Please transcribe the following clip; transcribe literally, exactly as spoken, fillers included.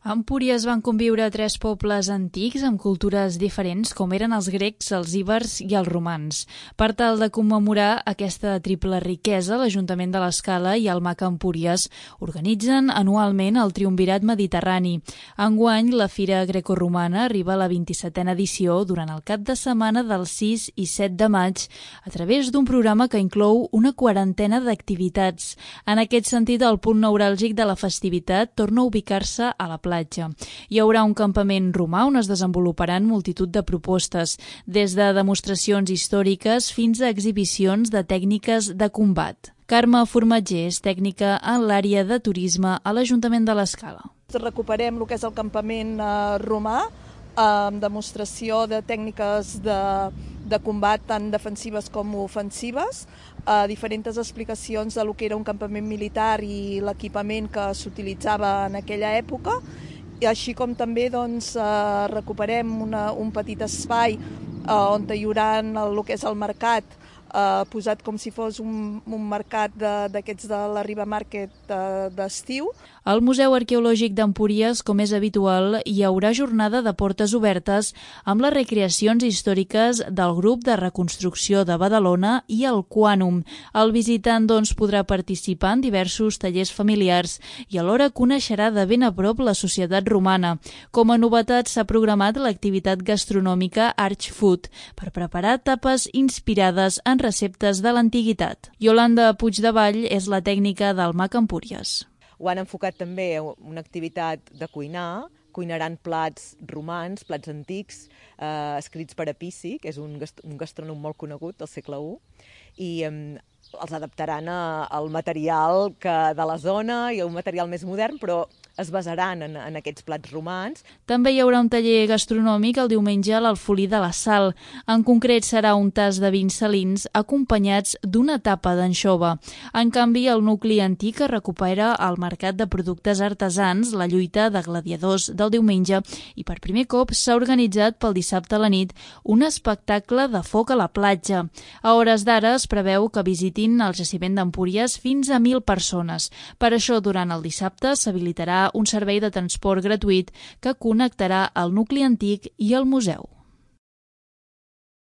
A Empúries van conviure tres pobles antics amb cultures diferents com eren els grecs, els íbers i els romans. Per tal de commemorar aquesta triple riquesa, l'Ajuntament de l'Escala i el M A C Empúries organitzen anualment el Triumvirat Mediterrani. Enguany, la Fira Grecoromana arriba a la vint-i-setena edició durant el cap de setmana del sis i set de maig a través d'un programa que inclou una quarantena d'activitats. En aquest sentit, el punt neuràlgic de la festivitat torna a ubicar-se a la platja. Hi haurà un campament romà on es desenvoluparan multitud de propostes, des de demostracions històriques fins a exhibicions de tècniques de combat. Carme Formatger és tècnica en l'àrea de turisme a l'Ajuntament de l'Escala. Recuperem el que és el campament eh, romà, amb demostració de tècniques de, de combat tant defensives com ofensives, eh, diferents explicacions de lo que era un campament militar i l'equipament que s'utilitzava en aquella època, i així com també doncs, eh, recuperem una, un petit espai eh, on hi haurà el que és el mercat, Uh, posat com si fos un, un mercat d'aquests de, de la Riba Market uh, d'estiu. Al Museu Arqueològic d'Empúries, com és habitual, hi haurà jornada de portes obertes amb les recreacions històriques del grup de reconstrucció de Badalona i el Quànum. El visitant doncs, podrà participar en diversos tallers familiars i alhora coneixerà de ben a prop la societat romana. Com a novetat s'ha programat l'activitat gastronòmica Arch Food per preparar tapes inspirades en receptes de l'antiguitat. Iolanda Puigdevall és la tècnica del M A C Empúries. Ho han enfocat també a una activitat de cuinar, cuinaran plats romans, plats antics, eh, escrits per Epici, que és un, gast un gastrònom molt conegut del segle u, i eh, els adaptaran a, al material que de la zona i a un material més modern, però es basaran en, en aquests plats romans. També hi haurà un taller gastronòmic el diumenge a l'Alfolí de la Sal. En concret serà un tas de vins salins acompanyats d'una tapa d'anxova. En canvi, el nucli antic es recupera al mercat de productes artesans, la lluita de gladiadors del diumenge, i per primer cop s'ha organitzat pel dissabte a la nit un espectacle de foc a la platja. A hores d'ara es preveu que visitin el jaciment d'Empúries fins a mil persones. Per això, durant el dissabte s'habilitarà un servei de transport gratuït que connectarà el nucli antic i el museu.